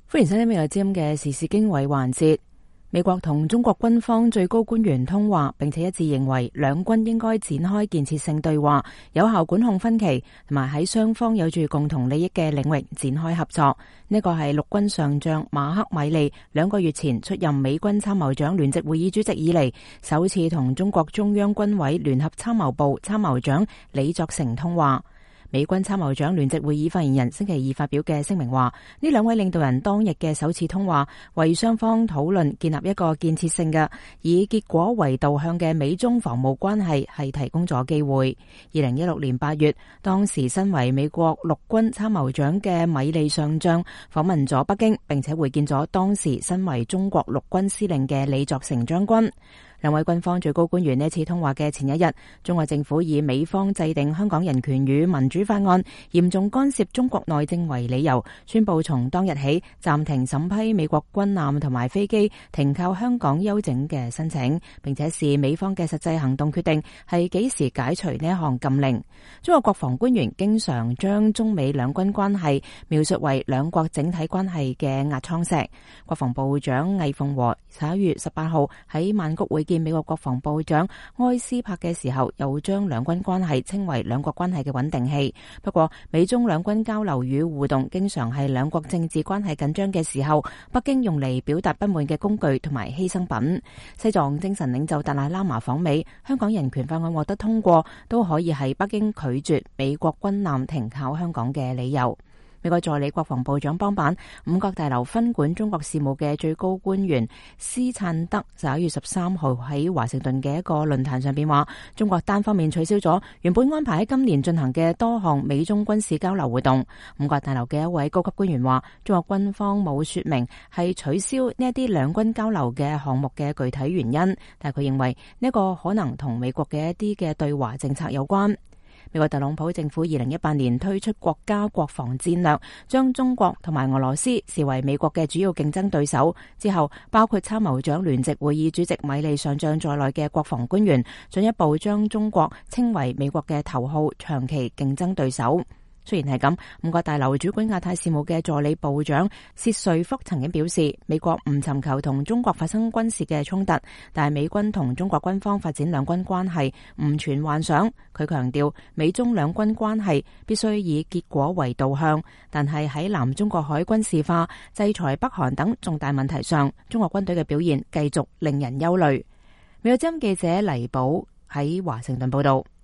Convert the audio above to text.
歡迎收聽《美國之音》嘅時事經緯環節。美國同中國軍方最高官員通話，並且一致認為兩軍應該展開建設性對話，有效管控分歧，同埋喺雙方有住共同利益嘅領域展開合作。呢個係陸軍上將馬克米利2個月前出任美軍參謀長聯席會議主席以嚟，首次同中國中央軍委聯合參謀部參謀長李作成通話。美軍參謀長聯席會議發言人星期二發表嘅聲明話，呢兩位領導人當日嘅首次通話，為雙方討論建立一個建設性嘅以結果為導向嘅美中防務關係係提供咗機會。2016年8月，當時身為美國陸軍參謀長嘅米利上將訪問咗北京，並且會見咗當時身為中國陸軍司令嘅李作成將軍。兩位軍方最高官員呢次通話嘅前一日，中國政府以美方制定香港人權與民主法案嚴重干涉中國內政為理由，宣布從當日起暫停審批美國軍艦同埋飛機停靠香港休整嘅申請，並且視美方嘅實際行動決定係幾時解除呢一項禁令。中國國防官員經常將中美兩軍關係描述為兩國整體關係嘅壓艙石。國防部長魏鳳和11月18號喺曼谷會見美國國防部長埃斯珀嘅時候，又將兩軍關係稱為兩國關係嘅穩定器。不過，美中兩軍交流與互動經常係兩國政治關係緊張嘅時候，北京用嚟表達不滿嘅工具同埋犧牲品。西藏精神領袖達賴喇嘛訪美，香港人權法案獲得通過，都可以係北京拒絕美國軍艦停靠香港嘅理由。美國助理國防部長邦板、五角大樓分管中國事務嘅最高官員斯燦德11月13號喺華盛頓嘅一個論壇上邊話，中國單方面取消咗原本安排喺今年進行嘅多項美中軍事交流活動。五角大樓嘅一位高級官員話，中國軍方冇說明係取消呢一啲兩軍交流嘅項目嘅具體原因，但係佢認為呢個可能同美國嘅一啲嘅對華政策有關。美國特朗普政府2018年推出國家國防戰略，將中國同埋俄羅斯視為美國嘅主要競爭對手。之後，包括參謀長聯席會議主席米利上將在內嘅國防官員進一步將中國稱為美國嘅頭號長期競爭對手。雖然係咁，五角大樓主管亞太事務嘅助理部長薛瑞福曾經表示，美國唔尋求同中國發生軍事嘅衝突，但係美軍同中國軍方發展兩軍關係唔存幻想。佢強調，美中兩軍關係必須以結果為導向，但係喺南中國海軍事化、制裁北韓等重大問題上，中國軍隊嘅表現繼續令人憂慮。美國之音記者黎寶喺華盛頓報道。